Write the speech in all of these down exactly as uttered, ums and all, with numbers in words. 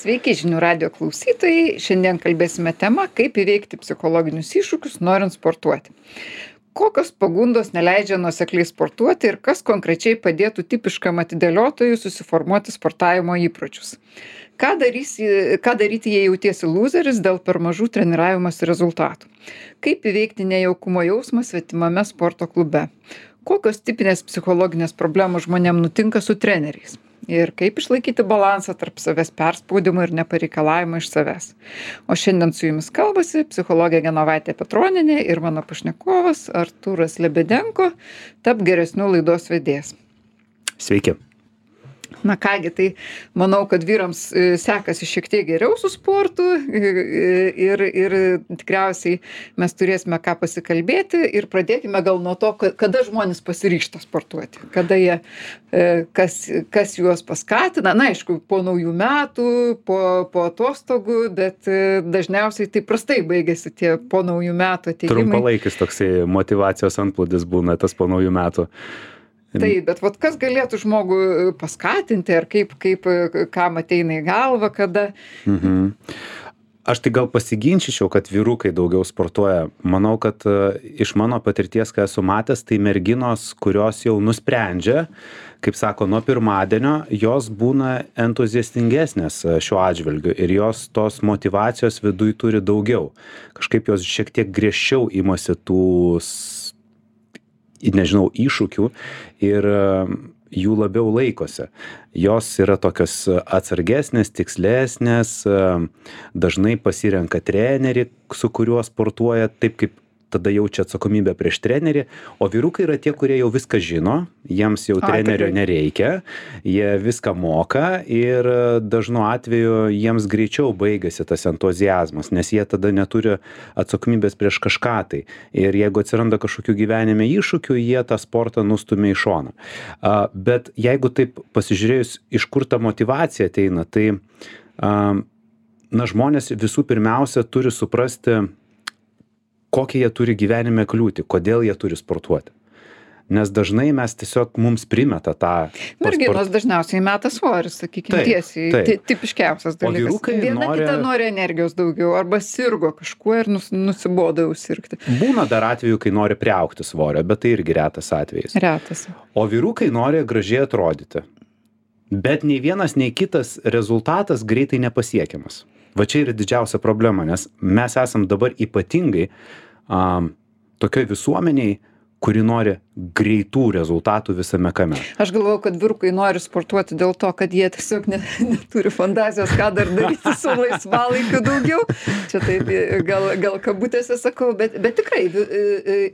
Sveiki žinių radijo klausytojai. Šiandien kalbėsime tema, kaip įveikti psichologinius iššūkius, norint sportuoti. Kokios pagundos neleidžia nuosekliai sportuoti ir kas konkrečiai padėtų tipiškam atidėliotojui susiformuoti sportavimo įpročius. Ką, darysi, ką daryti, jei jautiesi lūzeris dėl per mažų treniravimosi rezultatų? Kaip įveikti nejaukumo jausmą svetimame sporto klube? Kokios tipinės psichologinės problemos žmonėm nutinka su treneriais? Ir kaip išlaikyti balansą tarp savęs perspaudimo ir nepareikalavimo iš savęs. O šiandien su jumis kalbasi psichologė Genovaitė Petronienė ir mano pašnekovas Artūras Lebedenko, Tapk geresniu laidos vedėjas. Sveiki. Na kągi, tai manau, kad vyrams sekasi šiek tiek geriau su sportu ir, ir tikriausiai mes turėsime ką pasikalbėti ir pradėkime gal nuo to, kada žmonės pasiryžta sportuoti, kada jie, kas, kas juos paskatina, na aišku, po naujų metų, po, po atostogų, bet dažniausiai tai prastai baigėsi tie po naujų metų ateimai. Trumpalaikis toksai motyvacijos antplūdis būna tas po naujų metų. Taip, bet vat kas galėtų žmogų paskatinti, ar kaip, kaip kam ateina į galvą, kada? Mhm. Aš tai gal pasiginčyčiau, kad vyrukai daugiau sportuoja. Manau, kad iš mano patirties, kai esu matęs, tai merginos, kurios jau nusprendžia, kaip sako, nuo pirmadienio, jos būna entuziastingesnės šiuo atžvilgiu ir jos tos motyvacijos viduj turi daugiau. Kažkaip jos šiek tiek griežčiau imasi tų nežinau, iššūkių ir jų labiau laikosi. Jos yra tokios atsargesnės, tikslesnės, dažnai pasirenka trenerį, su kuriuo sportuoja taip, kaip tada jaučia atsakomybę prieš trenerį, o vyrukai yra tie, kurie jau viską žino, jiems jau trenerio nereikia, jie viską moka ir dažnu atveju jiems greičiau baigėsi tas entuziazmas, nes jie tada neturi atsakomybės prieš kažką tai. Ir jeigu atsiranda kažkokių gyvenime iššūkių, jie tą sportą nustumia į šoną. Bet jeigu taip pasižiūrėjus, iš kur ta motyvacija ateina, tai na, žmonės visų pirmiausia turi suprasti, kokie jie turi gyvenime kliūti, kodėl jie turi sportuoti. Nes dažnai mes tiesiog mums primeta tą... Merginos dažniausiai meta svorį, sakykime, tiesiai. Taip. Tipiškiausias dalykas. O vyrukai Viena nori... kita nori energijos daugiau, arba sirgo kažkuo ir nus, nusibodo jau sirgti. Būna dar atveju, kai nori priaugti svorio, bet tai irgi retas atvejis. Retas. O vyrukai nori gražiai atrodyti. Bet nei vienas, nei kitas rezultatas greitai nepasiekiamas. Va čia yra didžiausia problema, nes mes esam dabar ypatingai um, tokioj visuomeniai, kuri nori greitų rezultatų visame kame. Aš galvoju, kad vyrukai nori sportuoti dėl to, kad jie tiesiog ne, neturi fantazijos, ką dar daryti su laisvalaikiu daugiau. Čia taip gal, gal kabutėse sakau, bet, bet tikrai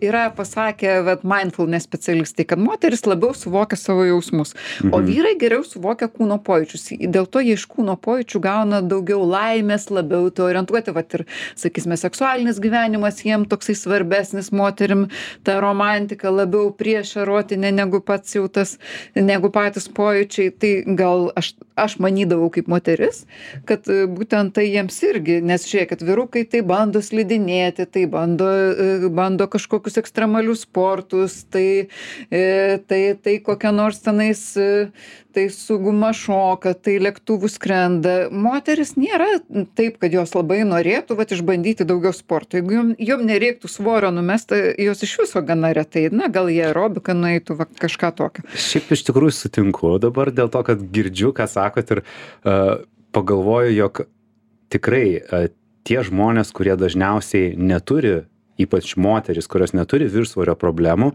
yra pasakę vat, mindfulness specialistai, kad moteris labiau suvokia savo jausmus, o mhm. vyrai geriau suvokia kūno pojūčius. Dėl to jie iš kūno pojūčių gauna daugiau laimės, labiau to orientuoti. Vat ir, sakysime, seksualinis gyvenimas jiem toksai svarbesnis, moterim ta romantika labiau prieš erotinė negu pats jau tas, negu patys pojūčiai. Tai gal aš, aš manydavau kaip moteris, kad būtent tai jiems irgi, nes žiūrėk, kad vyrukai tai bando slidinėti, tai bando, bando kažkokius ekstremalius sportus, tai, tai, tai kokia nors tenais, tai su guma šoka, tai lėktuvų skrenda. Moteris nėra taip, kad jos labai norėtų vat, išbandyti daugiau sporto. Jeigu jom, jom nereiktų svorio numesti, jos iš viso gana retai. Na, gal jie aerobiką nueitų, va, kažką tokio. Šiaip iš tikrųjų sutinku dabar dėl to, kad girdžiu, ką sakot ir uh, pagalvoju, jog tikrai uh, tie žmonės, kurie dažniausiai neturi, ypač moteris, kurios neturi viršsvorio problemų,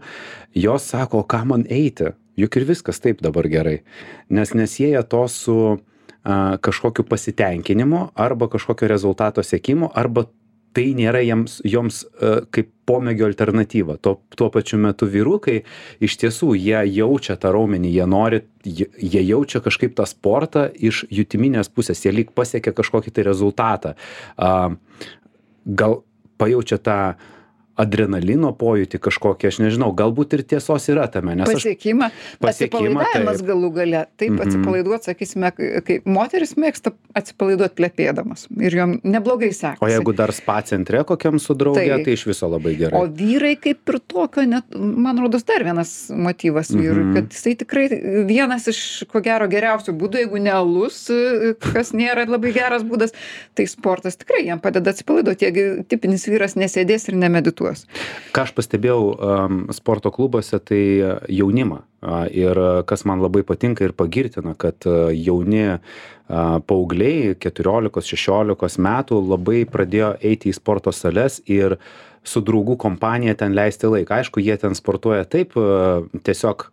jos sako, ką man eiti? Juk ir viskas taip dabar gerai. Nes nesieja to su uh, kažkokiu pasitenkinimu arba kažkokio rezultato siekimu, arba tai nėra jiems, joms uh, kaip pomėgio alternatyva. Tuo, tuo pačiu metu vyrukai iš tiesų jie jaučia tą raumenį, jie nori, jie, jie jaučia kažkaip tą sportą iš jutiminės pusės, jie lyg pasiekia kažkokį tai rezultatą. Uh, gal pajaučia tą adrenalino pojūtį kažkokį, aš nežinau, galbūt ir tiesos yra tame, nes aš Pasiekimą, pasiekimą, atsipalaidavimas taip. galų gale. Taip, Mhm. atsipalaiduot, sakysime, kai moteris mėgsta atsipalaiduot plepėdamas ir jom neblogai sekasi. O jeigu dar spa centre kokiam su drauge, Tai- tai iš viso labai gerai. O vyrai kaip ir tokio, net, man rodos, dar vienas motyvas vyrui, Mhm. kad jisai tikrai vienas iš, ko gero, geriausių būdų, jeigu ne alus, kas nėra labai geras būdas, tai sportas tikrai jam padeda atsipalaiduoti, jeigu tipinis vyras nesėdės ir nemedituos. Ką aš pastebėjau um, sporto klubuose, tai jaunimą. A, Ir kas man labai patinka ir pagirtina, kad a, jauni a, paaugliai keturiolikos šešiolikos metų labai pradėjo eiti į sporto sales ir su draugų kompanija ten leisti laiką. Aišku, jie ten sportuoja taip, a, tiesiog,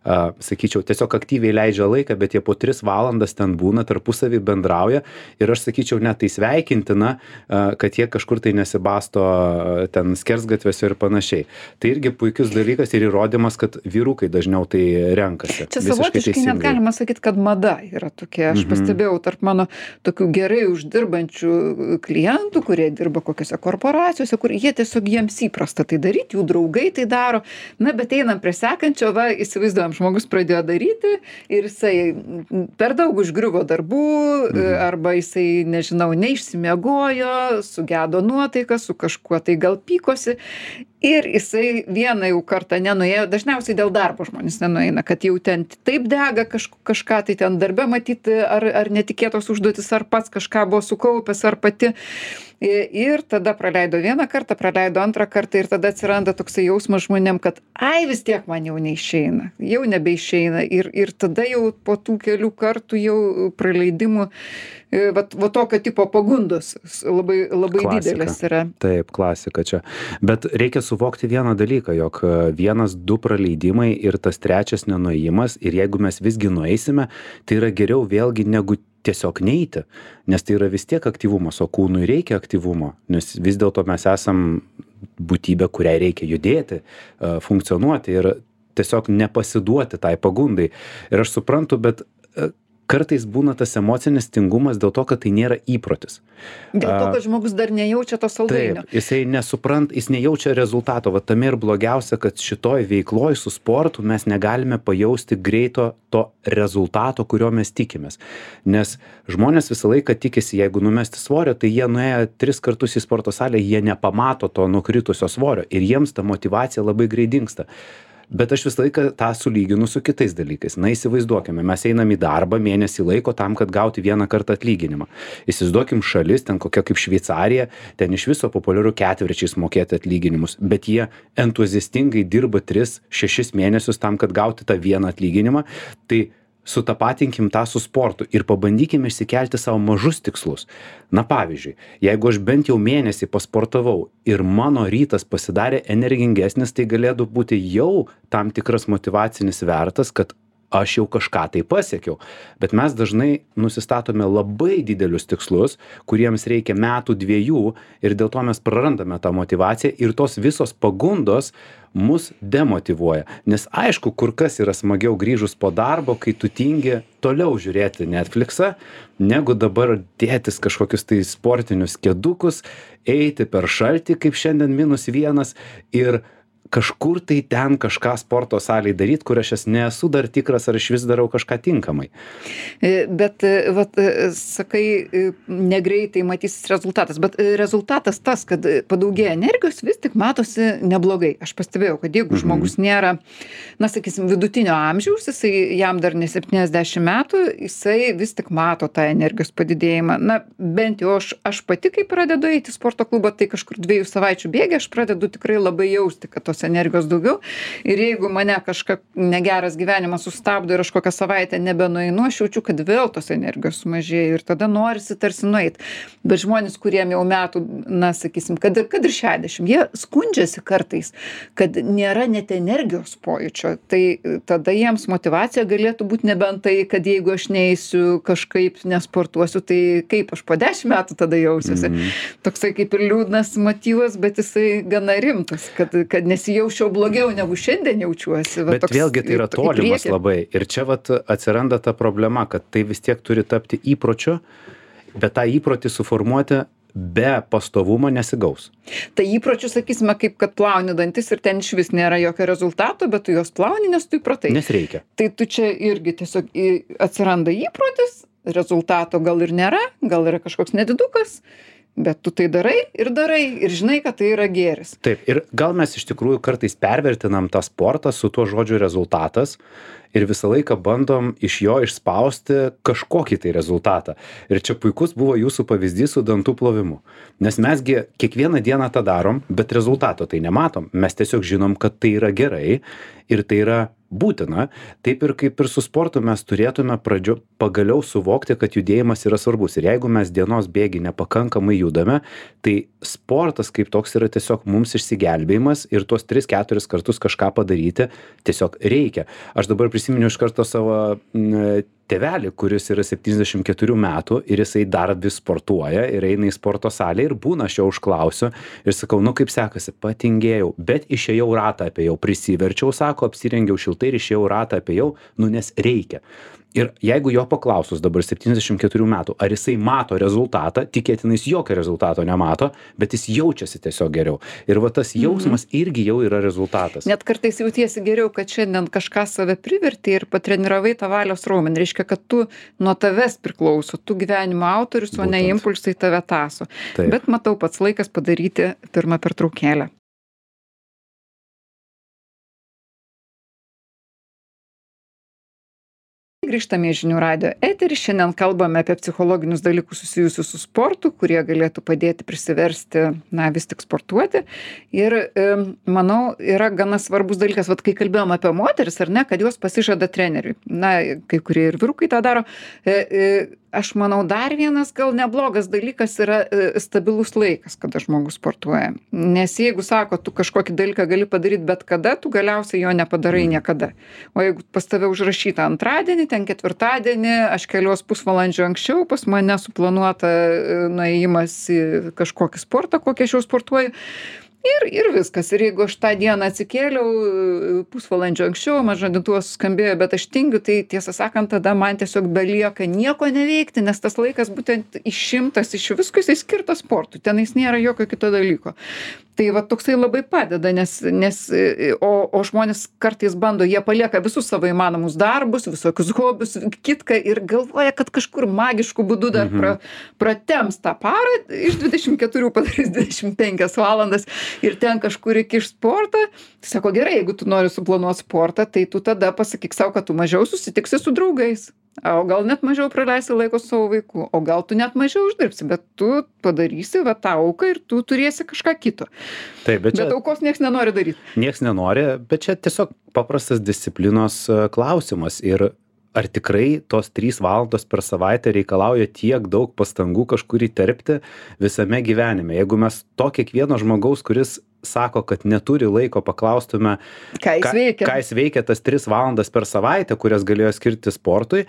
a, sakyčiau, tiesiog aktyviai leidžia laiką, bet jie po tris valandas ten būna, tarpusavį bendrauja ir aš sakyčiau, net tai sveikintina, a, kad jie kažkur tai nesibasto a, ten skersgatviuose ir panašiai. Tai irgi puikius dalykas ir įrodymas, kad vyrukai dažniau tai renkasi. Čia Visiškai savotiškai net teisingai. galima sakyti, kad mada yra tokia. Aš Mhm. pastebėjau tarp mano tokių gerai uždirbančių klientų, kurie dirba kokiose korporacijose, kur jie tiesiog jiems įprasta tai daryti, jų draugai tai daro. Na, bet einam prie sekančio, va, įsivaizduojam, žmogus pradėjo daryti ir jisai per daug užgriuvo darbų, Mhm. arba jisai, nežinau, neišsimiegojo, sugedo nuotaiką, su kažkuo tai gal pykosi. Ir jisai vieną jau kartą nenuėjo, dažniausiai dėl darbo žmonės nenueina, kad jau ten taip dega kaž, kažką, tai ten darbe matyti, ar, ar netikėtos užduotis, ar pats kažką buvo sukaupęs, ar pati. Ir tada praleido vieną kartą, praleido antrą kartą ir tada atsiranda toksai jausmas žmonėm, kad ai vis tiek man jau neišeina, jau nebeišeina. Ir, ir tada jau po tų kelių kartų jau praleidimų, va, va tokio tipo pagundos labai, labai Klasika. didelės yra. Taip, klasika čia. Bet reikia suvokti vieną dalyką, jog vienas, du praleidimai ir tas trečias nenuėjimas, ir jeigu mes visgi nueisime, tai yra geriau vėlgi negu tiesiog neiti, nes tai yra vis tiek aktyvumas, o kūnui reikia aktyvumo, nes vis dėlto mes esam būtybė, kuriai reikia judėti, funkcionuoti ir tiesiog nepasiduoti tai pagundai. Ir aš suprantu, bet kartais būna tas emocinis tingumas dėl to, kad tai nėra įprotis. Dėl to, kad žmogus dar nejaučia to saldainio. Taip, jisai nesuprant, jis nejaučia rezultato. Va tame ir blogiausia, kad šitoj veikloj su sportu mes negalime pajausti greito to rezultato, kurio mes tikimės. Nes žmonės visą laiką tikisi, jeigu numesti svorio, tai jie nuėję tris kartus į sporto salę, jie nepamato to nukritusio svorio ir jiems ta motyvacija labai greit dingsta. Bet aš visą laiką tą sulyginu su kitais dalykais. Na, įsivaizduokime, mes einam į darbą mėnesį laiko tam, kad gauti vieną kartą atlyginimą. Įsivaizduokim šalis, ten kokia kaip Šveicarija, ten iš viso populiaru ketvirčiais mokėti atlyginimus, bet jie entuziastingai dirba tris šešis mėnesius tam, kad gauti tą vieną atlyginimą. Tai sutapatinkim tą su sportu ir pabandykime išsikelti savo mažus tikslus. Na pavyzdžiui, jeigu aš bent jau mėnesį pasportavau ir mano rytas pasidarė energingesnis, tai galėtų būti jau tam tikras motyvacinis vertas, kad aš jau kažką tai pasiekiau. Bet mes dažnai nusistatome labai didelius tikslus, kuriems reikia metų dviejų ir dėl to mes prarandame tą motyvaciją ir tos visos pagundos mus demotyvuoja. Nes aišku, kur kas yra smagiau grįžus po darbo, kai tu tingi toliau žiūrėti Netflixą, negu dabar dėtis kažkokius tai sportinius kėdukus, eiti per šaltį, kaip šiandien minus vienas ir kažkur tai ten kažką sporto salėj daryt, kur aš nesu dar tikras, ar aš vis darau kažką tinkamai. Bet, vat, sakai, negreitai matysis rezultatas, bet rezultatas tas, kad padaugėja energijos, vis tik matosi neblogai. Aš pastebėjau, kad jeigu mhm. žmogus nėra, na, sakysim, vidutinio amžiaus, jisai jam dar ne septyniasdešimt metų, jisai vis tik mato tą energijos padidėjimą. Na, bent jau aš, aš pati, kai pradedu eiti į sporto klubą, tai kažkur dviejų savaičių bėgė, aš pradedu tikrai labai jausti, kad tos energijos daugiau. Ir jeigu mane kažką negeras gyvenimas sustabdo ir aš kokią savaitę nebenueinu, aš jaučiu, kad vėl tos energijos sumažėja ir tada norisi tarsi nueit. Bet žmonės, kuriem jau metų, na, sakysim, kad ir, kad ir šešiasdešimt, jie skundžiasi kartais, kad nėra net energijos pojūčio. Tai tada jiems motyvacija galėtų būti nebent tai, kad jeigu aš neįsiu kažkaip nesportuosiu, tai kaip aš po dešimt metų tada jausiuosi. Mm. Toksai kaip ir liūdnas motyvas, bet jisai gana rimtas, kad, kad nesijaučiau blogiau negu šiandien jaučiuosi. Va, bet vėlgi tai yra tolimas labai. Ir čia vat atsiranda ta problema, kad tai vis tiek turi tapti įpročiu, bet tą įprotį suformuoti be pastovumo nesigaus. Tai įpročių, sakysime, kaip kad plauni dantis ir ten išvis nėra jokio rezultato, bet tu juos plauni, nes tu įpratai. Nes reikia. Tai tu čia irgi tiesiog į- atsiranda įprotis, rezultato gal ir nėra, gal yra kažkoks nedidukas, bet tu tai darai ir darai ir žinai, kad tai yra gėris. Taip, ir gal mes iš tikrųjų kartais pervertinam tą sportą su tuo žodžiu rezultatas ir visą laiką bandom iš jo išspausti kažkokį tai rezultatą. Ir čia puikus buvo jūsų pavyzdys su dantų plovimu. Nes mesgi kiekvieną dieną tą darom, bet rezultato tai nematom. Mes tiesiog žinom, kad tai yra gerai ir tai yra būtina. Taip ir kaip ir su sportu mes turėtume pradžio pagaliau suvokti, kad judėjimas yra svarbus. Ir jeigu mes dienos bėgy nepakankamai judame, tai sportas kaip toks yra tiesiog mums išsigelbėjimas ir tuos tris keturis kartus kažką padaryti tiesiog reikia. Aš dabar prisiminiau iš karto savo m, tėvelį, kuris yra septyniasdešimt keturių metų ir jisai dar vis sportuoja ir eina į sporto salę ir būna, aš jo užklausiu ir sakau, nu kaip sekasi, patingėjau, bet išėjau ratą apėjau, prisiverčiau, sako, apsirengiau šiltai ir išėjau ratą apėjau, nu nes reikia. Ir jeigu jo paklausus dabar septyniasdešimt keturių metų, ar jisai mato rezultatą, tikėtinai jis jokio rezultato nemato, bet jis jaučiasi tiesiog geriau. Ir va tas jausmas mhm. irgi jau yra rezultatas. Net kartais jautiesi geriau, kad šiandien kažką save priverti ir patreniravai tą valios raumenį. Reiškia, kad tu nuo tavęs priklauso, tu gyvenimo autorius, o ne impulsai tave taso. Taip. Bet matau, pats laikas padaryti pirmą pertraukėlę. Grįžtame į žinių radijo eterį. Šiandien kalbame apie psichologinius dalykus susijusius su sportu, kurie galėtų padėti prisiversti, na, vis tik sportuoti. Ir e, manau, yra gana svarbus dalykas, vat kai kalbėjom apie moteris, ar ne, kad jos pasižada treneriui. Na, kai kurie ir vyrukai tą daro. E, e, aš manau, dar vienas gal neblogas dalykas yra e, stabilus laikas, kada žmogus sportuoja. Nes jeigu sako, tu kažkokį dalyką gali padaryti bet kada, tu galiausiai jo nepadarai niekada. O jeigu pas tave užrašyta antradienį, ten ketvirtadienį, aš kelios pusvalandžio anksčiau, pas mane suplanuota nuėjimas į kažkokį sportą, kokį aš jau sportuoju. Ir, ir viskas. Ir jeigu aš tą dieną atsikėliau pusvalandžio anksčiau, man žadintuvas skambėjo, bet aš tingiu, tai tiesą sakant, tada man tiesiog belieka nieko neveikti, nes tas laikas būtent išimtas iš visko, jisai skirtas sportui. Tenais nėra jokio kito dalyko. Tai va toksai labai padeda, nes, nes o, o žmonės kartais bando, jie palieka visus savo įmanomus darbus, visokius hobius, kitką ir galvoja, kad kažkur magišku būdu dar pra, pratems tą parą, iš dvidešimt keturių padarys dvidešimt penkias valandas ir ten kažkur įkiš sportą. Tai sako, gerai, jeigu tu nori suplanuoti sportą, tai tu tada pasakyk savo, kad tu mažiau susitiksi su draugais. O gal net mažiau praleisi laiko su savo vaiku, o gal tu net mažiau uždirbsi, bet tu padarysi va tą auką ir tu turėsi kažką kito. Taip, bet čia, bet aukos nieks nenori daryti. Nieks nenori, bet čia tiesiog paprastas disciplinos e, klausimas. Ir ar tikrai tos trys valandos per savaitę reikalauja tiek daug pastangų kažkur įterpti visame gyvenime? Jeigu mes to kiekvieno žmogaus, kuris sako, kad neturi laiko, paklaustume, ką jis veikia, ką jis veikia tas tris valandas per savaitę, kurias galėjo skirti sportui,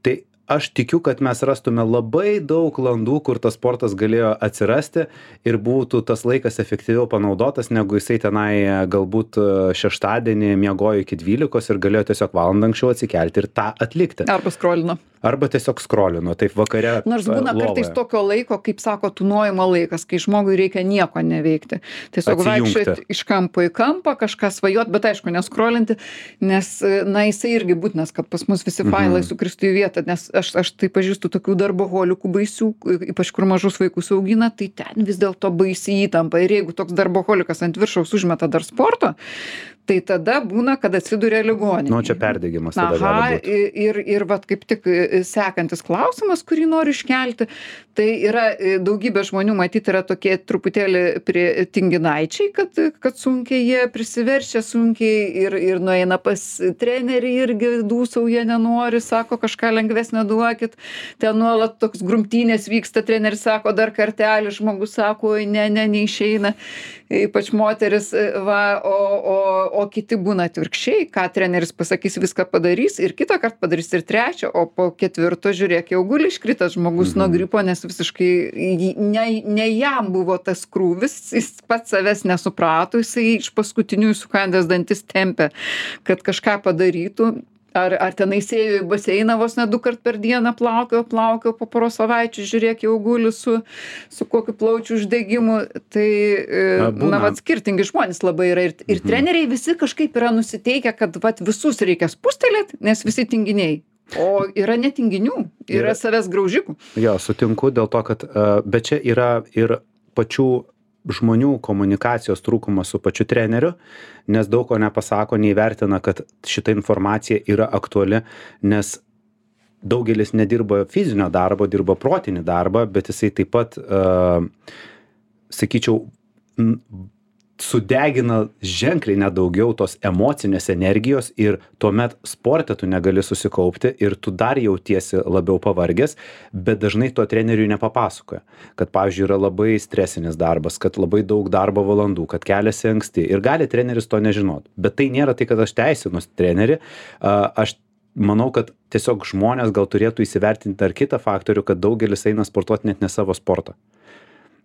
tai aš tikiu, kad mes rastume labai daug landų, kur tas sportas galėjo atsirasti ir būtų tas laikas efektyviau panaudotas, negu jisai tenai galbūt šeštadienį miegojo iki dvylikos ir galėjo tiesiog valandą anksčiau atsikelti ir tą atlikti. Arba skrolino. Arba tiesiog skrolino, taip vakare. Nors būna lovoje. Kartais tokio laiko, kaip sako, tūnojimo laikas, kai žmogui reikia nieko neveikti. Tiesiog vaikščioti iš kampo į kampą, kažką svajot, bet aišku, neskrolinti, nes, na, jisai irgi būtinas, kad pas mus visi failai mhm. sukristų į vietą, nes aš, aš tai pažįstu tokių darboholikų baisių, ypač kur mažus vaikus augina, tai ten vis dėlto baisi įtampa. Ir jeigu toks darboholikas ant viršaus užmeta dar sporto, tai tada būna, kad atsiduria ligoninėje. Nu, čia perdegimas tada Aha, gali būti. Ir, ir vat kaip tik sekantis klausimas, kurį noriu iškelti, tai yra daugybė žmonių, matyt, yra tokie truputėlį prie tinginaičiai, kad, kad sunkiai jie prisiverčia, sunkiai ir, ir nueina pas trenerį irgi dūsauja nenori, sako kažką lengvesnio duokit, ten nuolat toks grumtynės vyksta, treneris sako dar kartelį, žmogus sako, ne, ne, neišeina, ypač moteris, va, o, o, o kiti būna atvirkščiai, ką treneris pasakys, viską padarys ir kitą kartą padarys ir trečią, o po ketvirto žiūrėk, jau guli iškritęs žmogus mhm. nuo gripo, nes visiškai ne, ne jam buvo tas krūvis, jis pats savęs nesuprato, jisai iš paskutinių sukandęs dantis tempė, kad kažką padarytų. Ar, ar tenais ėjo į baseiną vos ne du kart per dieną plaukio, plaukio po poros savaičių, žiūrėk, jau guli su, su kokiu plaučių uždegimu. Tai, Na, na, būna. vat, skirtingi žmonės labai yra. Ir, ir treneriai visi kažkaip yra nusiteikę, kad vat, visus reikia spustelėti, nes visi tinginiai. O yra netinginių, yra Yra. savęs graužikų. Jo, sutinku dėl to, kad, uh, bet čia yra ir pačių žmonių komunikacijos trūkumas su pačiu treneriu, nes daug ko nepasako, neįvertina, kad šita informacija yra aktuali, nes daugelis nedirba fizinio darbo, dirba protinį darbą, bet jisai taip pat, uh, sakyčiau, n- sudegina ženkliai nedaugiau tos emocinės energijos ir tuomet sporte tu negali susikaupti ir tu dar jautiesi labiau pavargęs, bet dažnai to treneriui nepapasakoja, kad, pavyzdžiui, yra labai stresinis darbas, kad labai daug darbo valandų, kad keliasi anksti ir gali treneris to nežinot. Bet tai nėra tai, kad aš teisinu trenerį, a, aš manau, kad tiesiog žmonės gal turėtų įsivertinti dar kitą faktorių, kad daugelis eina sportuoti net ne savo sportą.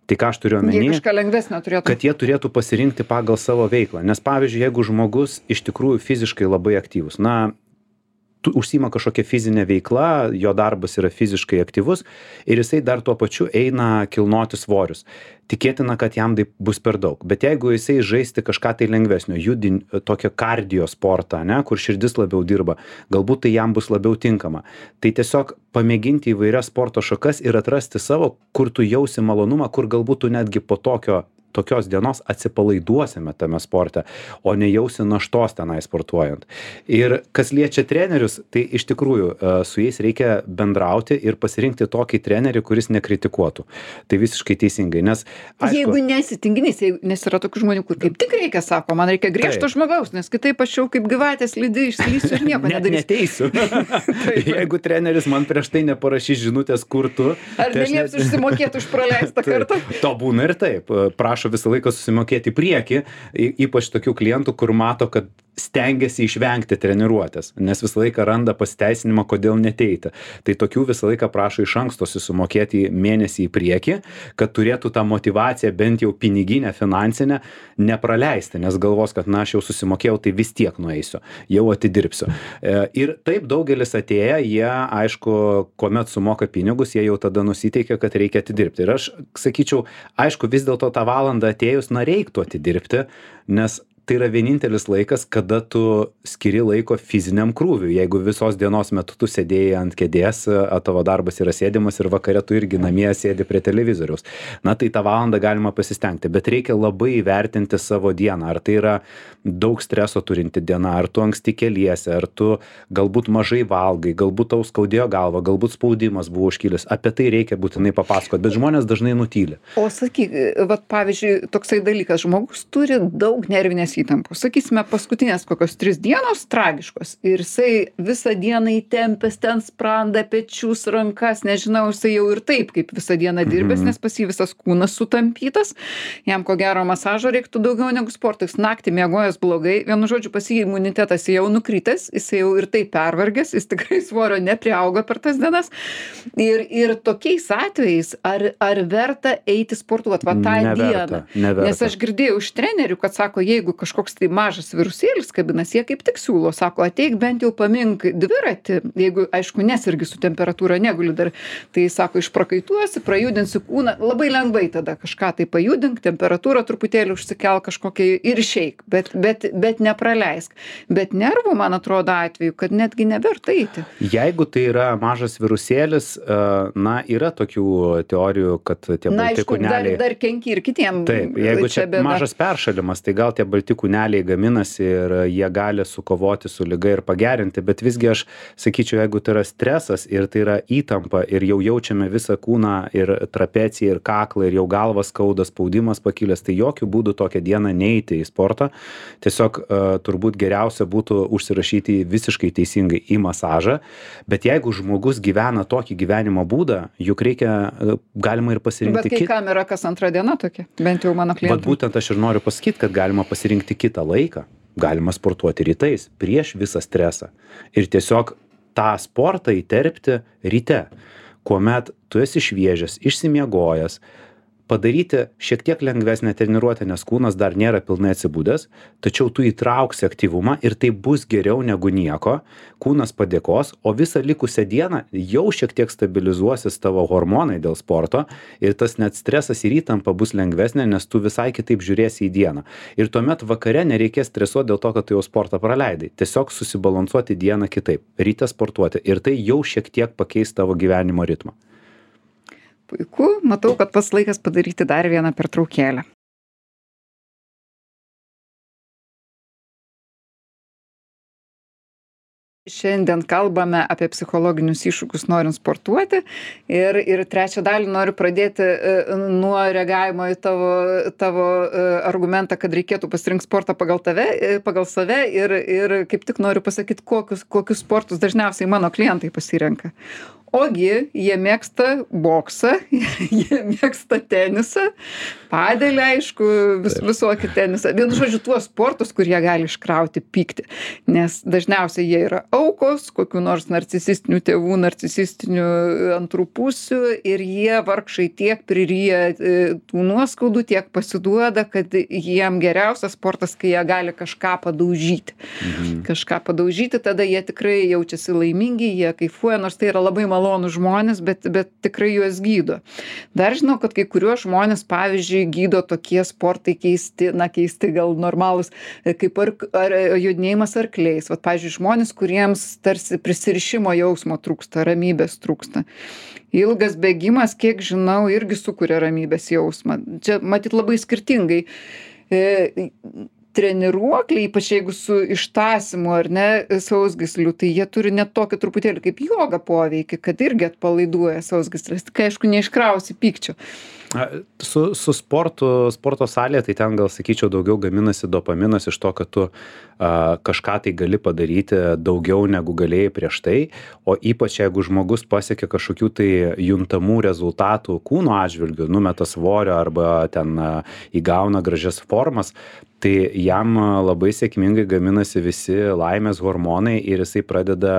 Tai ką aš turiu Jie omeny? kažką lengvesnio turėtų. Kad jie turėtų pasirinkti pagal savo veiklą. Nes, pavyzdžiui, jeigu žmogus iš tikrųjų fiziškai labai aktyvus, na, tu užsiima kažkokia fizinė veikla, jo darbas yra fiziškai aktyvus ir jisai dar tuo pačiu eina kilnoti svorius. Tikėtina, kad jam tai bus per daug. Bet jeigu jisai žaisti kažką tai lengvesnio, judin, tokio kardio sportą, ne, kur širdis labiau dirba, galbūt tai jam bus labiau tinkama. Tai tiesiog pamėginti įvairias sporto šakas ir atrasti savo, kur tu jausi malonumą, kur galbūt tu netgi po tokio tokios dienos atsipalaiduosime tame sporte, o nejausi naštos tenai sportuojant. Ir kas liečia trenerius, tai iš tikrųjų e, su jais reikia bendrauti ir pasirinkti tokį trenerį, kuris nekritikuotų. Tai visiškai teisingai, nes aišku, Jeigu nesi tinginys, jeigu- nes yra tokių žmonių, kur kaip tik reikia, sako, man reikia griežto Taip. žmogaus, nes kitaip aš jau kaip gyvatės lydi išslysiu ir nieko net nedarysiu. neteisiu. Jeigu treneris man prieš tai neparašys žinutės, kur tu, Ar tai aš nelieps net- užsimokėti už praleistą kartą? To būna ir taip. Prašo visą laiką susimokėti į priekį, y- ypač tokių klientų, kur mato, kad stengiasi išvengti treniruotės, nes visą laiką randa pasiteisinimą, kodėl neteiti. Tai tokių visą laiką prašo iš anksto susimokėti mėnesį į priekį, kad turėtų tą motyvaciją bent jau piniginę, finansinę nepraleisti, nes galvos, kad na, aš jau susimokėjau, tai vis tiek nueisiu, jau atidirbsiu. E, Ir taip daugelis atėję, jie, aišku, kuomet sumoka pinigus, jie jau tada nusiteikia, kad reikia atidirbti. Ir aš sakyčiau, aišku, vis dėlto tą valandą atėjus, na, reiktų atidirbti, nes tai yra vienintelis laikas, kada tu skiri laiko fiziniam krūviui. Jeigu visos dienos metu tu sėdėjai ant kėdės, a, tavo darbas yra sėdimas ir vakare tu irgi namie sėdi prie televizoriaus. Na, tai tą valandą galima pasistengti, bet reikia labai įvertinti savo dieną. Ar tai yra daug streso turinti diena, ar tu anksti keliesi, ar tu galbūt mažai valgai, galbūt tau skaudėjo galva, galbūt spaudimas buvo užkilęs. Apie tai reikia būtinai papasakoti, bet žmonės dažnai nutyli. O sakyk, vat pavyzdžiui, toksai dalykas, žmogus turi daug nervinės įtampos. Sakysime, paskutinės kokios tris dienos tragiškos. Ir jisai visą dieną įtempęs ten sprandą, pečius, rankas, nežinau, jisai jau ir taip, kaip visą dieną dirbęs, nes pas jį visas kūnas sutampytas. Jam ko gero masažo reiktų daugiau negu sportas. Naktį miegojęs blogai. Vienu žodžiu, pas jį imunitetas jau nukritęs, jisai jau ir taip pervargęs, jis tikrai svorio nepriauga per tas dienas. Ir, ir tokiais atvejais, ar, ar verta eiti sportuoti va tą Neverta, dieną? neverta. Nes aš girdėjau iš trenerių, kad sako, jeigu kažkoks tai mažas virusėlis kabinas, jie kaip tik siūlo, sako, ateik bent jau pamink dviratį, jeigu, aišku, nesirgi su temperatūra, neguli dar, tai sako, išprakaituosi, prajudinsi kūną, labai lengvai tada kažką tai pajudink, temperatūrą truputėlį užsikel kažkokią ir išeik, bet, bet, bet nepraleisk. Bet nervų, man atrodo, atveju, kad netgi neverta eiti. Jeigu tai yra mažas virusėlis, e, na, yra tokių teorijų, kad tie Na, balti aišku, dar, kūneliai... dar kenki ir kitiem. Taip, jeigu čia bėda. mažas peršalimas, tai gal tie balti kūneliai gaminasi ir jie gali sukovoti su liga ir pagerinti, bet visgi aš sakyčiau, jeigu tai yra stresas ir tai yra įtampa ir jau jaučiame visą kūną ir trapeciją ir kaklą ir jau galvas skauda, spaudimas pakilęs, tai jokių būdų tokią dieną neiti į sportą. Tiesiog uh, turbūt geriausia būtų užsirašyti visiškai teisingai į masažą, bet jeigu žmogus gyvena tokį gyvenimo būdą, juk reikia, uh, galima ir pasirinkti Bet kai kitą. kam yra kas antra diena tokia, bent jau mano Vat klientų. būtent aš ir noriu pasakyti, kad galima pasirinkti kitą laiką. Galima sportuoti rytais, prieš visą stresą. Ir tiesiog tą sportą įterpti ryte, kuomet tu esi šviežias, išsimiegojęs, padaryti šiek tiek lengvesnę treniruotę, nes kūnas dar nėra pilnai atsibūdęs, tačiau tu įtrauksi aktyvumą ir tai bus geriau negu nieko, kūnas padėkos, o visą likusią dieną jau šiek tiek stabilizuosis tavo hormonai dėl sporto ir tas net stresas ir įtampa bus lengvesnė, nes tu visai kitaip žiūrėsi į dieną. Ir tuomet vakare nereikės stresuoti dėl to, kad tu jau sportą praleidai. Tiesiog susibalansuoti dieną kitaip, ryte sportuoti ir tai jau šiek tiek pakeis tavo gyvenimo ritmą. Puiku, matau, kad pats laikas padaryti dar vieną pertraukėlę. Šiandien kalbame apie psichologinius iššūkius norint sportuoti ir, ir trečią dalį noriu pradėti nuo reagavimo į tavo, tavo argumentą, kad reikėtų pasirinkti sportą pagal tave, pagal save ir, ir kaip tik noriu pasakyti, kokius, kokius sportus dažniausiai mano klientai pasirenka. Ogi jie mėgsta boksą, jie mėgsta tenisą, padelį, aišku, vis, visokį tenisą. Vienu žodžiu, tuos sportus, kur jie gali iškrauti pyktį. Nes dažniausiai jie yra aukos, kokių nors narcisistinių tėvų, narcisistinių antrų pusių ir jie vargšai tiek priryja tų nuoskaudų, tiek pasiduoda, kad jiem geriausias sportas, kai jie gali kažką padaužyti. Mhm. Kažką padaužyti, tada jie tikrai jaučiasi laimingi, jie kaifuoja, nors tai yra labai malonų žmonės, bet, bet tikrai juos gydo. Dar žinau, kad kai kuriuos žmonės, pavyzdžiui, gydo tokie sportai keisti, na keisti gal normalūs, kaip ar, ar jodinėjimas arkliais. Vat, pavyzdžiui, žmonės, kuriems tarsi prisirišimo jausmo trūksta, ramybės trūksta. Ilgas bėgimas, kiek žinau, irgi sukuria ramybės jausmą. Čia matyt labai skirtingai. E, treniruokliai, ypač jeigu su ištąsimu ar ne sausgysliu, tai jie turi net tokį truputėlį kaip joga poveikį, kad irgi atpalaiduoja sausgysles. Kai aišku neiškrausi pykčio. Su, su sportu, sporto salėje, tai ten gal sakyčiau daugiau gaminasi dopaminas iš to, kad tu a, kažką tai gali padaryti daugiau negu galėjai prieš tai, o ypač jeigu žmogus pasiekia kažkokių tai juntamų rezultatų kūno atžvilgių, numeta svorio arba ten a, įgauna gražias formas, tai jam labai sėkmingai gaminasi visi laimės hormonai ir jisai pradeda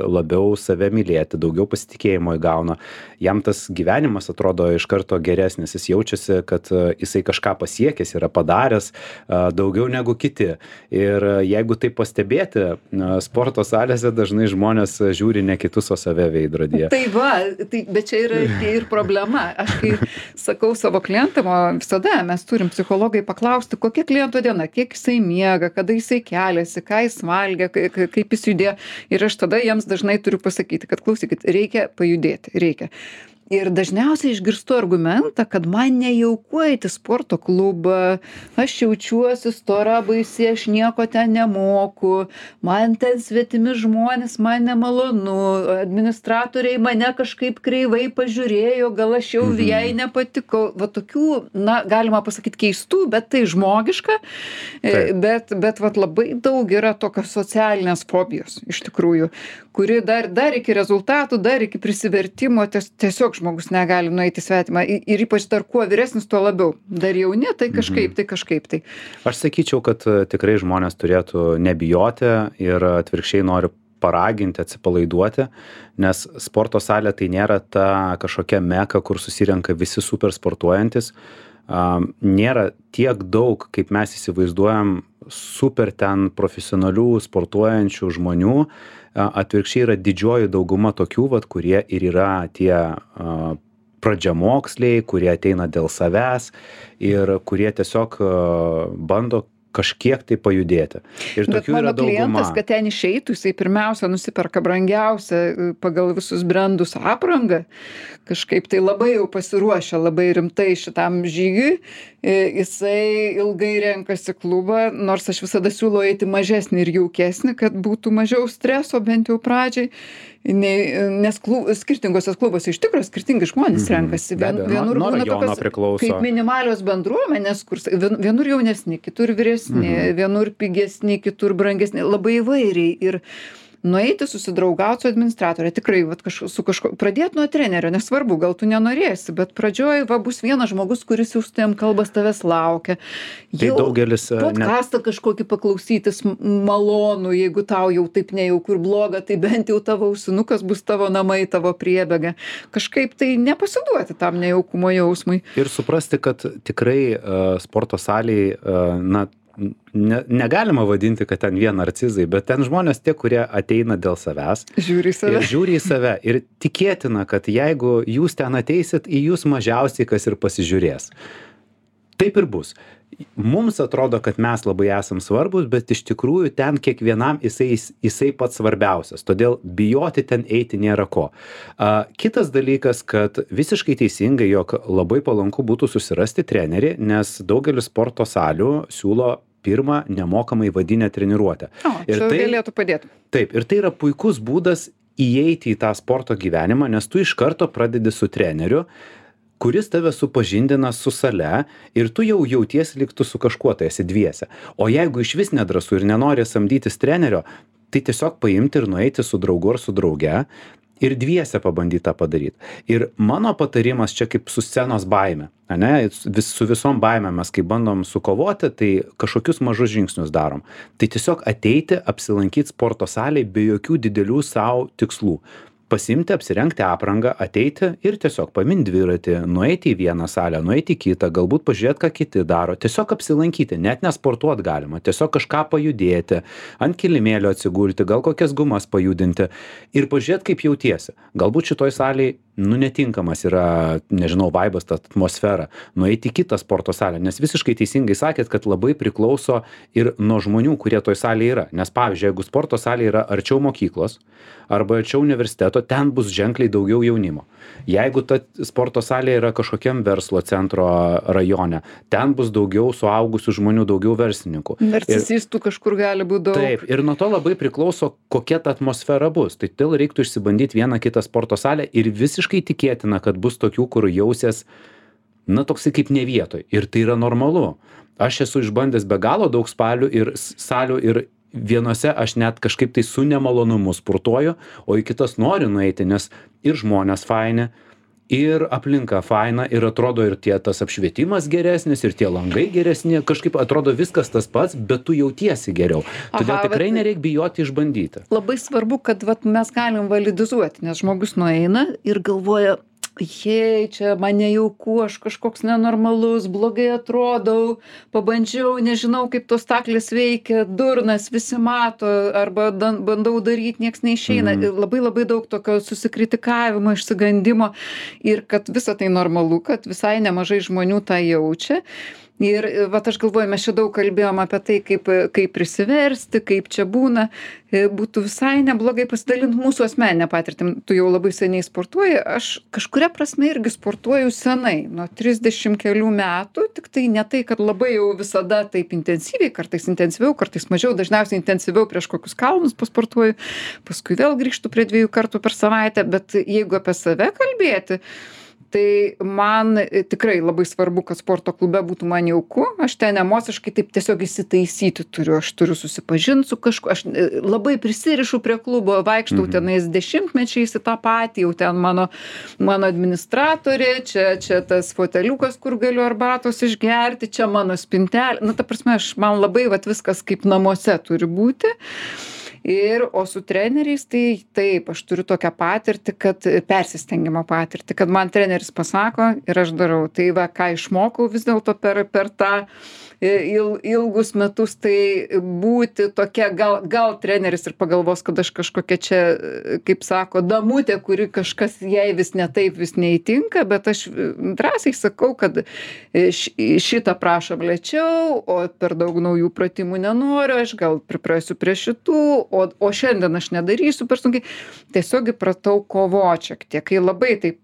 labiau save mylėti, daugiau pasitikėjimo įgauna. Jam tas gyvenimas atrodo iš karto geresnis, jis jaučiasi, kad jisai kažką pasiekęs, yra padaręs daugiau negu kiti. Ir jeigu tai pastebėti, sporto salėse dažnai žmonės žiūri ne kitus, o save veidrodyje. Tai va, tai, bet čia yra ir problema. Aš kai sakau savo klientam, o visada mes turim psichologai paklausti, kokia kliento diena, kiek jisai miega, kada jisai keliasi, ką jis valgia, kaip jis judėjo. Ir aš tada jiems dažnai turiu pasakyti, kad klausykit, reikia pajudėti, reikia. Ir dažniausiai išgirstu argumentą, kad man nejauku eiti į sporto klubą, aš jaučiuosi stora baisi, aš nieko ten nemoku, man ten svetimi žmonės, man nemalonu, administratoriai mane kažkaip kreivai pažiūrėjo, gal aš jau mhm. jai nepatikau. Va tokių, na, galima pasakyti keistų, bet tai žmogiška, Taip. bet, bet va labai daug yra tokios socialinės fobijos, iš tikrųjų, kuri dar, dar iki rezultatų, dar iki prisivertimo ties, tiesiog žmogus negali nueiti svetimą ir ypač dar kuo vyresnis, tuo labiau. Dar jauni, tai kažkaip, tai kažkaip. Tai. Aš sakyčiau, kad tikrai žmonės turėtų nebijoti ir atvirkščiai noriu paraginti, atsipalaiduoti, nes sporto salė tai nėra ta kažkokia meka, kur susirenka visi super sportuojantis. Um, nėra tiek daug, kaip mes įsivaizduojam, super ten profesionalių sportuojančių žmonių. Atvirkščiai yra didžioji dauguma tokių, vat, kurie ir yra tie uh, pradžiamoksliai, kurie ateina dėl savęs ir kurie tiesiog uh, bando kažkiek tai pajudėti. Ir bet tokių mano yra dauguma. Klientas, kad ten išeitų, jisai pirmiausia nusiperka brangiausią pagal visus brandus aprangą, kažkaip tai labai jau pasiruošia labai rimtai šitam žygiui, jisai ilgai renkasi klubą, nors aš visada siūlau eiti mažesnį ir jaukesnį, kad būtų mažiau streso bent jau pradžiai. Nei, nes klub, skirtingose klubuose iš tikrųjų skirtingi žmonės mm-hmm. renkasi. Vien, Be, vienur nuo, būna nuo tokios priklauso. Kaip minimalios bendruomenės, kur vien, vienur jaunesni, kitur vyresni, mm-hmm. vienur pigesni, kitur brangesni, labai įvairiai. Ir nueiti susidraugauti su administratore, tikrai vat, kaž, su kažko, pradėti nuo trenerio, nesvarbu, gal tu nenorėsi, bet pradžioj va, bus vienas žmogus, kuris jau su tavim kalbas tavęs laukia. Tai daugelis... Podcastą kažkokį paklausytis malonu, jeigu tau jau taip nejauku ir bloga, tai bent jau tavo ausinukas bus tavo namai, tavo priebėga. Kažkaip tai nepasiduoti tam nejaukumo jausmui. Ir suprasti, kad tikrai uh, sporto salėje, uh, na, ne, negalima vadinti, kad ten vien narcizai, bet ten žmonės tie, kurie ateina dėl savęs. Žiūri į save. Ir žiūri į save. Ir tikėtina, kad jeigu jūs ten ateisit, į jūs mažiausiai kas ir pasižiūrės. Taip ir bus. Mums atrodo, kad mes labai esam svarbus, bet iš tikrųjų ten kiekvienam jisai, jisai pats svarbiausias. Todėl bijoti ten eiti nėra ko. A, kitas dalykas, kad visiškai teisingai, jog labai palanku būtų susirasti trenerį, nes daugelis sporto salių siūlo pirmą nemokamai vadinę treniruotę. O, ir tai galėtų padėti. Taip, ir tai yra puikus būdas įeiti į tą sporto gyvenimą, nes tu iš karto pradedi su treneriu, kuris tave supažindina su sale ir tu jau jautiesi lyg tu su kažkuo tai esi dviese. O jeigu iš vis nedrąsu ir nenori samdytis trenerio, tai tiesiog paimti ir nueiti su draugu ar su drauge ir dviese pabandyti tą padaryti. Ir mano patarimas čia kaip su scenos baime, ane? Vis, su visom baimėm mes kai bandom sukovoti, tai kažkokius mažus žingsnius darom. Tai tiesiog ateiti, apsilankyti sporto salėje be jokių didelių savo tikslų. Pasimti, apsirengti aprangą, ateiti ir tiesiog paminti dviratį, nueiti į vieną salę, nueiti į kitą, galbūt pažiūrėti, ką kiti daro. Tiesiog apsilankyti, net nesportuot galima, tiesiog kažką pajudėti, ant kilimėlio atsigulti, gal kokias gumas pajudinti ir pažiūrėti, kaip jautiesi. Galbūt šitoj salėje, nu, netinkamas yra, nežinau, vaibas, ta atmosfera, nueiti į kitą sporto salę, nes visiškai teisingai sakėt, kad labai priklauso ir nuo žmonių, kurie toj salėje yra. Nes pavyzdžiui, jeigu sporto salė yra arčiau mokyklos arba arčiau universiteto, ten bus ženkliai daugiau jaunimo. Jeigu ta sporto salė yra kažkokiam verslo centro rajone, ten bus daugiau suaugusių žmonių, daugiau verslininkų. Narcisistų kažkur gali būti daug. Taip, ir nuo to labai priklauso, kokia ta atmosfera bus. Tai todėl reiktų išsibandyti vieną kitą sporto salę ir visiškai tikėtina, kad bus tokių, kur jausies, na, toksai kaip ne vietoj. Ir tai yra normalu. Aš esu išbandęs be galo daug spalių ir salių ir vienose aš net kažkaip tai su nemalonumu sportuoju, o į kitas noriu nueiti, nes ir žmonės faini, ir aplinka faina, ir atrodo ir tie tas apšvietimas geresnis, ir tie langai geresni, kažkaip atrodo viskas tas pats, bet tu jautiesi geriau. Todėl Aha, tikrai bet... nereikia bijoti išbandyti. Labai svarbu, kad vat, mes galim validizuoti, nes žmogus nueina ir galvoja, jei, čia man nejauku, aš kažkoks nenormalus, blogai atrodau, pabandžiau, nežinau, kaip tos staklės veikia, durnas, visi mato, arba dan, bandau daryti, nieks neišeina. Mm. Labai labai daug tokio susikritikavimo, išsigandimo ir kad visa tai normalu, kad visai nemažai žmonių tą jaučia. Ir vat aš galvoju, mes čia daug kalbėjom apie tai, kaip, kaip prisiversti, kaip čia būna. Būtų visai neblogai pasidalinti mūsų asmeninę patirtį. Tu jau labai seniai sportuoji, aš kažkuria prasme irgi sportuoju senai, nuo trisdešimt kelių metų, tik tai ne tai, kad labai jau visada taip intensyviai, kartais intensyviau, kartais mažiau, dažniausiai intensyviau prieš kokius kalnus pasportuoju, paskui vėl grįžtu prie dviejų kartų per savaitę, bet jeigu apie save kalbėti, tai man tikrai labai svarbu, kad sporto klube būtų man jauku. Aš ten emociškai taip tiesiog įsitaisyti turiu. Aš turiu susipažinti su kažkuo. Aš labai prisirišu prie klubo, vaikštau mhm. tenais dešimtmečiais į tą patį, jau ten mano, mano administratorė, čia, čia tas foteliukas, kur galiu arbatos išgerti, čia mano spintelė. Na, ta prasme, aš, man labai vat, viskas kaip namuose turi būti. Ir, o su treneriais, tai taip, aš turiu tokią patirtį, kad persistengimo patirtį, kad man treneris pasako ir aš darau. Tai va, ką išmokau vis dėlto per, per tą il, ilgus metus, tai būti tokia, gal, gal treneris ir pagalvos, kad aš kažkokia čia, kaip sako, damutė, kuri kažkas jai vis ne taip, vis neįtinka, bet aš drąsiai sakau, kad šitą prašom lėčiau, o per daug naujų pratimų nenoriu, aš gal priprasiu prie šitų, o, o šiandien aš nedarysiu per sunkiai. Tiesiog įpratau kovoti šiek tiek, kai labai taip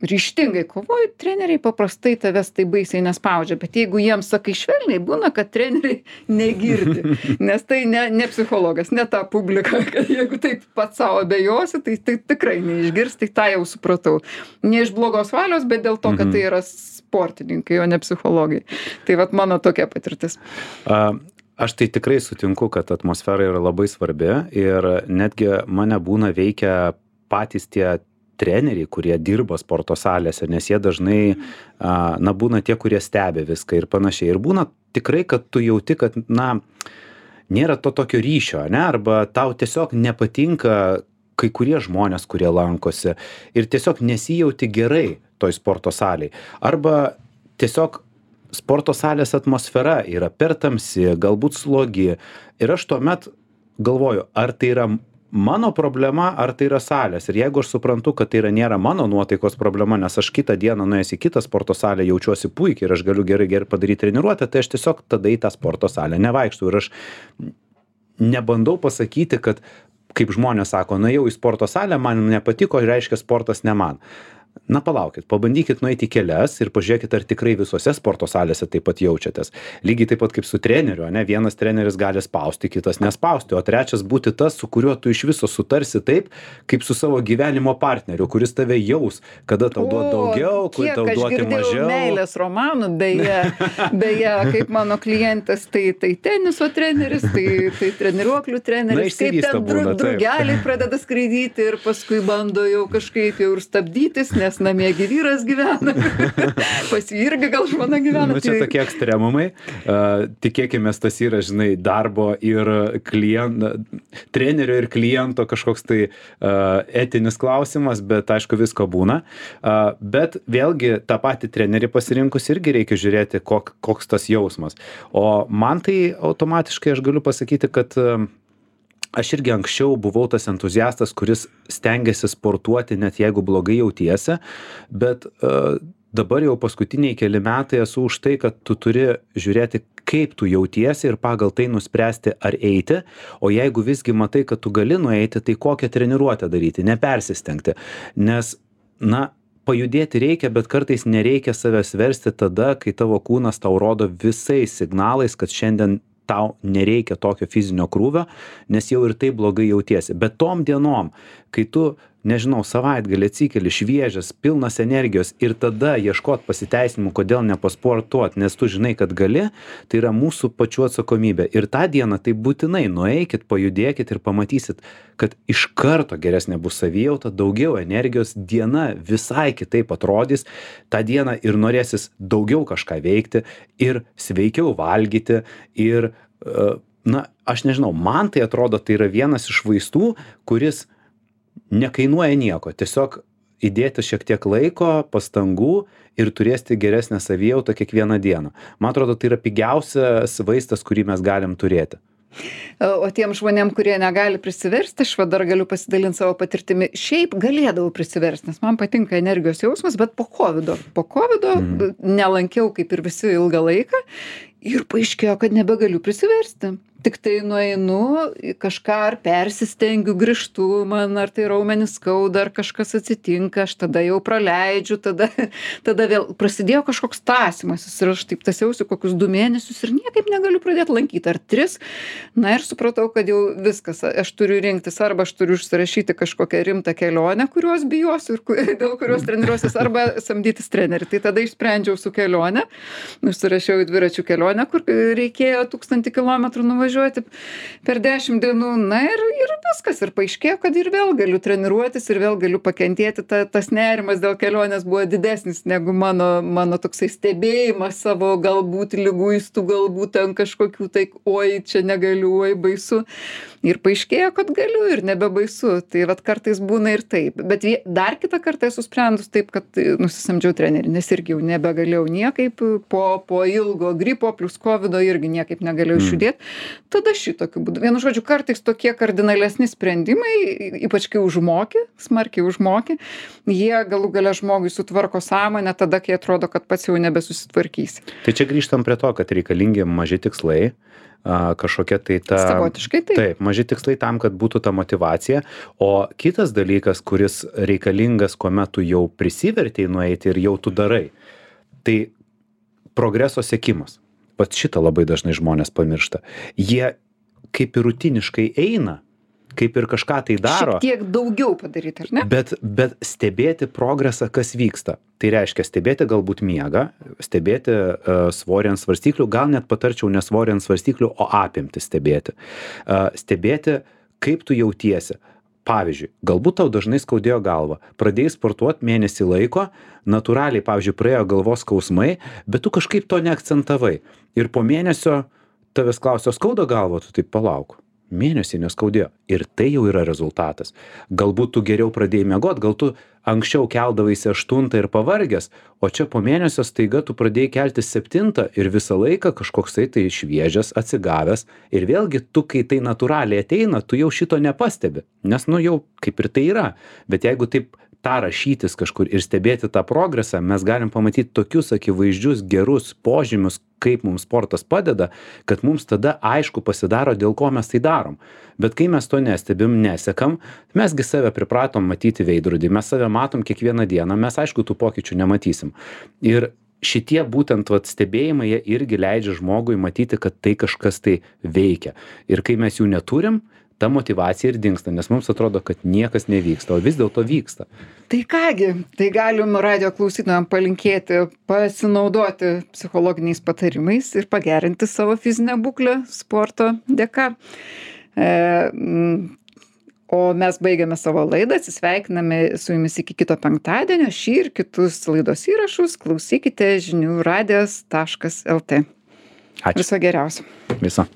ryžtingai kovoji, treneriai paprastai tavęs tai baisiai nespaudžia, bet jeigu jiems sakai švelniai, būna, kad treneriai negirdi, nes tai ne, ne psichologas, ne ta publika, kad jeigu taip pats savo abejosi, tai, tai tikrai neišgirs, tai tą jau supratau. Ne iš blogos valios, bet dėl to, kad tai yra sportininkai, o ne psichologai. Tai vat mano tokia patirtis. Uh. Aš tai tikrai sutinku, kad atmosfera yra labai svarbi ir netgi mane būna veikia patys tie treneriai, kurie dirba sporto salėse, nes jie dažnai, a, na, būna tie, kurie stebi viską ir panašiai. Ir būna tikrai, kad tu jauti, kad, na, nėra to tokio ryšio, ne, arba tau tiesiog nepatinka kai kurie žmonės, kurie lankosi ir tiesiog nesijauti gerai toj sporto salėj. Arba tiesiog sporto salės atmosfera yra per tamsi, galbūt slogi. Ir aš tuomet galvoju, ar tai yra mano problema, ar tai yra salės. Ir jeigu aš suprantu, kad tai yra nėra mano nuotaikos problema, nes aš kitą dieną nuėjęs į kitą sporto salę jaučiuosi puikiai ir aš galiu gerai gerai padaryti treniruotę, tai aš tiesiog tada į tą sporto salę nevaikštau. Ir aš nebandau pasakyti, kad kaip žmonės sako, nuėjau į sporto salę, man nepatiko, reiškia sportas ne man. Na palaukit, pabandykit nueiti į kelias ir pažiūrėkit, ar tikrai visose sporto salėse taip pat jaučiatės. Lygiai taip pat kaip su treneriu, ne? Vienas treneris gali spausti, kitas nespausti, o trečias būti tas, su kuriuo tu iš viso sutarsi taip, kaip su savo gyvenimo partneriu, kuris tave jaus, kada tau duoti daugiau, kur tau duoti mažiau. Meilės romanų, beje, beje, kaip mano klientas, tai, tai teniso treneris, tai, tai treniruoklių treneris, kaip ten dru, drugeliai pradeda skraidyti ir paskui bando jau kažkaip jau ir stabdytis, nes namie vyras gyvena, pas jį irgi gal žmona gyvena. Nu, čia tokie ekstremumai. Uh, tikėkimės, tas yra, žinai, darbo ir kliento, trenerio ir kliento kažkoks tai uh, etinis klausimas, bet aišku visko būna. Uh, bet vėlgi tą patį trenerį pasirinkus irgi reikia žiūrėti, kok, koks tas jausmas. O man tai automatiškai aš galiu pasakyti, kad uh, aš irgi anksčiau buvau tas entuziastas, kuris stengiasi sportuoti, net jeigu blogai jautiesi, bet uh, dabar jau paskutiniai keli metai esu už tai, kad tu turi žiūrėti, kaip tu jautiesi ir pagal tai nuspręsti, ar eiti, o jeigu visgi matai, kad tu gali nueiti, tai kokią treniruotę daryti, nepersistengti, nes, na, pajudėti reikia, bet kartais nereikia savęs versti tada, kai tavo kūnas tau rodo visais signalais, kad šiandien tau nereikia tokio fizinio krūvio, nes jau ir taip blogai jautiesi. Bet tom dienom, kai tu, nežinau, savaitgalį atsikeli šviežias, pilnas energijos ir tada ieškot pasiteisinimų, kodėl nepasportuot, nes tu žinai, kad gali, tai yra mūsų pačių atsakomybė. Ir tą dieną tai būtinai nueikit, pajudėkit ir pamatysit, kad iš karto geresnė bus savijauta, daugiau energijos, diena visai kitaip atrodys, tą dieną ir norėsis daugiau kažką veikti ir sveikiau valgyti ir, na, aš nežinau, man tai atrodo, tai yra vienas iš vaistų, kuris nekainuoja nieko, tiesiog įdėti šiek tiek laiko, pastangų ir turėti geresnę savijautą kiekvieną dieną. Man atrodo, tai yra pigiausias vaistas, kurį mes galim turėti. O tiem žmonėm, kurie negali prisiversti, aš va dar galiu pasidalinti savo patirtimi. Šiaip galėdavau prisiversti, nes man patinka energijos jausmas, bet po kovido. Po kovido mm. nelankiau kaip ir visi ilgą laiką ir paaiškėjo, kad nebegaliu prisiversti. Tik tai nueinu, kažką ar persistengiu, grįžtu, man ar tai raumenis skauda, ar kažkas atsitinka, aš tada jau praleidžiu, tada, tada vėl prasidėjo kažkoks tąsymasis ir aš taip tąsiausi kokius du mėnesius ir niekaip negaliu pradėti lankyti, ar tris. Na ir supratau, kad jau viskas, aš turiu rinktis, arba aš turiu užsirašyti kažkokią rimtą kelionę, kurios bijosiu ir dėl kurios treniruosius, arba samdytis trenerį. Tai tada išsprendžiau su kelionė, užsirašiau į dviračių kelionę, kur reikėjo tūkstantį kilometrų nuvažiuoti per dešimt dienų, na ir, ir viskas, ir paaiškėjo, kad ir vėl galiu treniruotis, ir vėl galiu pakentėti, ta, tas nerimas dėl kelionės buvo didesnis negu mano, mano toksai stebėjimas savo galbūt liguistų, galbūt ten kažkokių, tai oi, čia negaliu, oi, baisu. Ir paaiškėjo, kad galiu ir nebebaisu. Tai vat kartais būna ir taip. Bet dar kitą kartą esu sprendus taip, kad nusisamdžiau trenerį, nes irgi jau nebegalėjau niekaip, po, po ilgo gripo plus kovido irgi niekaip negalėjau išjudėti. Mm. Tada šitokiu būdu. Vienu žodžiu, kartais tokie kardinalesni sprendimai, ypač kai užmoki, smarkiai užmoki, jie galų gale žmogui sutvarko sąmonę tada, kai atrodo, kad pats jau nebesusitvarkysi. Tai čia grįžtam prie to, kad reikalingi maži tikslai, kažkokia tai ta... Savotiškai taip. Taip, maži tikslai tam, kad būtų ta motyvacija. O kitas dalykas, kuris reikalingas, kuomet tu jau prisivertei nueiti ir jau tu darai, tai progreso sekimas. Pat šitą labai dažnai žmonės pamiršta. Jie kaip ir rutiniškai eina, kaip ir kažką tai daro. Šiek tiek daugiau padaryti, ar ne? Bet, bet stebėti progresą, kas vyksta. Tai reiškia stebėti galbūt miegą, stebėti uh, svorį ant svarstyklių, gal net patarčiau ne svorį ant svarstyklių, o apimti stebėti. Uh, stebėti, kaip tu jautiesi. Pavyzdžiui, galbūt tau dažnai skaudėjo galvą, pradėjai sportuoti mėnesį laiko, natūraliai, pavyzdžiui, praėjo galvos skausmai, bet tu kažkaip to neakcentavai. Ir po mėnesio tavęs klausė, skauda galva, tu taip palauk. Mėnesį neskaudėjo. Ir tai jau yra rezultatas. Galbūt tu geriau pradėjai miegot, gal tu anksčiau keldavaisi aštuntą ir pavargęs, o čia po mėnesio staiga tu pradėjai keltis septintą ir visą laiką kažkoksai tai šviežias, atsigavęs. Ir vėlgi tu, kai tai natūraliai ateina, tu jau šito nepastebi. Nes nu jau kaip ir tai yra. Bet jeigu taip tą rašytis kažkur ir stebėti tą progresą, mes galim pamatyti tokius akivaizdžius gerus požymius, kaip mums sportas padeda, kad mums tada aišku pasidaro, dėl ko mes tai darom. Bet kai mes to nestebim, nesekam, mesgi save pripratom matyti veidrodį, mes save matom kiekvieną dieną, mes aišku tų pokyčių nematysim. Ir šitie būtent vat, stebėjimai, jie irgi leidžia žmogui matyti, kad tai kažkas tai veikia. Ir kai mes jų neturim, ta motyvacija ir dingsta, nes mums atrodo, kad niekas nevyksta, o vis dėlto vyksta. Tai kągi, tai galim radio klausytojams palinkėti, pasinaudoti psichologiniais patarimais ir pagerinti savo fizinę būklę sporto dėka. E, o mes baigiame savo laidą, atsisveikiname su jumis iki kito penktadienio, šį ir kitus laidos įrašus klausykite žinių radijas taškas lt. Ačiū. Viso geriausio. Viso.